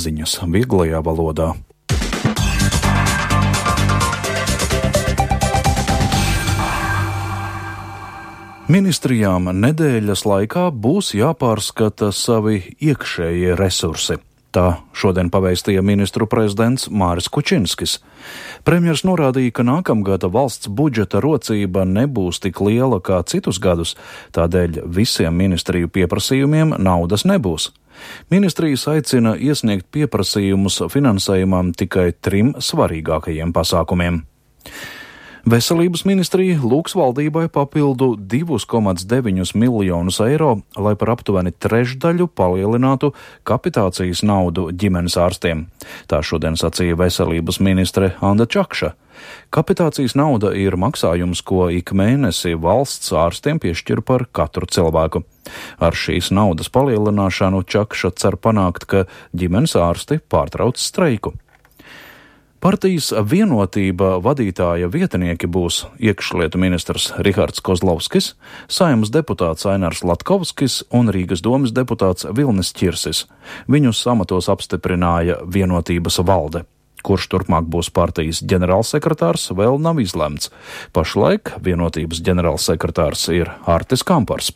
ziņas vieglajā valodā. Ministrijām nedēļas laikā būs jāpārskata savi iekšējie resursi. Tā šodien pavēstīja ministru prezidents Māris Kučinskis. Premjers norādīja, ka nākamgada valsts budžeta rocība nebūs tik liela kā citus gadus, tādēļ visiem ministriju pieprasījumiem naudas nebūs. Ministrijas aicina iesniegt pieprasījumus finansējumam tikai 3 svarīgākajiem pasākumiem. Veselības ministrija lūgs valdībai papildu 2,9 miljonus eiro, lai par aptuveni trešdaļu palielinātu kapitācijas naudu ģimenes ārstiem. Tā šodien sacīja veselības ministre Anda Čakša. Kapitācijas nauda ir maksājums, ko ik mēnesi valsts ārstiem piešķir par katru cilvēku. Ar šīs naudas palielināšanu Čakša cer panākt, ka ģimenes ārsti pārtrauc streiku. Partijas Vienotība vadītāja vietnieki būs iekšlietu ministrs Rihards Kozlovskis, Saeimas deputāts Ainars Latkovskis un Rīgas domes deputāts Vilnis Ķirsis. Viņus amatos apstiprināja Vienotības valde. Kurš turpmāk būs partijas ģenerālsekretārs, vēl nav izlemts. Pašlaik Vienotības ģenerālsekretārs ir Artis Kampars.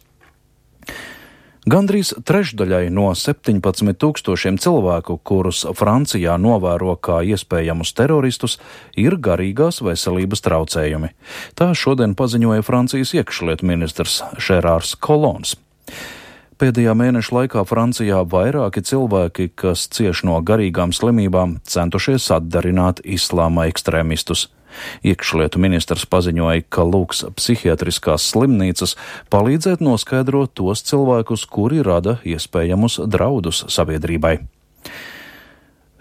Gandrīz trešdaļai no 17 000 cilvēku, kurus Francijā novēro kā iespējamus teroristus, ir garīgās veselības traucējumi. Tā šodien paziņoja Francijas iekšlietu ministrs Žerārs Kolons. Pēdējā mēneša laikā Francijā vairāki cilvēki, kas cieš no garīgām slimībām, centušies atdarināt islāma ekstrēmistus. Iekšlietu ministrs paziņoja, ka lūgs psihiatriskās slimnīcas palīdzēt noskaidrot tos cilvēkus, kuri rada iespējamus draudus sabiedrībai.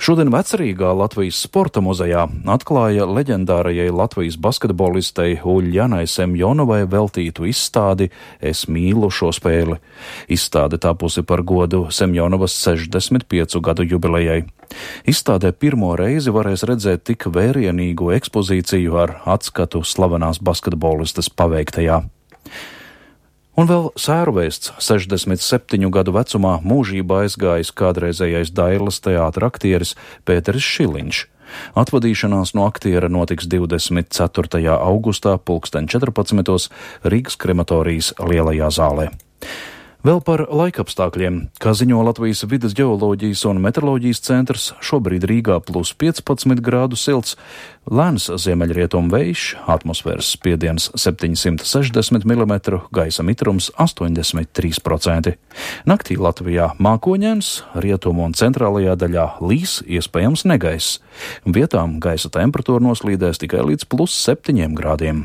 Šodien Vecrīgā Latvijas sporta muzejā atklāja leģendārajai Latvijas basketbolistei Uļjanai Semjonovai veltītu izstādi Es mīlu šo spēli. Izstāde tapusi par godu Semjonovas 65 gadu jubilejai. Izstādē pirmo reizi varēs redzēt tik vērienīgu ekspozīciju ar atskatu slavenās basketbolistas paveiktajā. Un vēl sērvēsts 67 gadu vecumā mūžībā aizgājis kādreizējais Dailas teātra aktieris Pēteris Šiliņš. Atvadīšanās no aktiera notiks 24. augustā 14:00 Rīgas krematorijas lielajā zālē. Vēl par laikapstākļiem, kā ziņo Latvijas vides ģeoloģijas un meteoroloģijas centrs, šobrīd Rīgā +15 grādu silts, lēns ziemeļrietumu vējš, atmosfēras spiediens 760 mm, gaisa mitrums 83%. Naktī Latvijā mākoņains, rietumu un centrālajā daļā līs, iespējams negaiss. Vietām gaisa temperatūra noslīdēs tikai līdz +7 grādiem.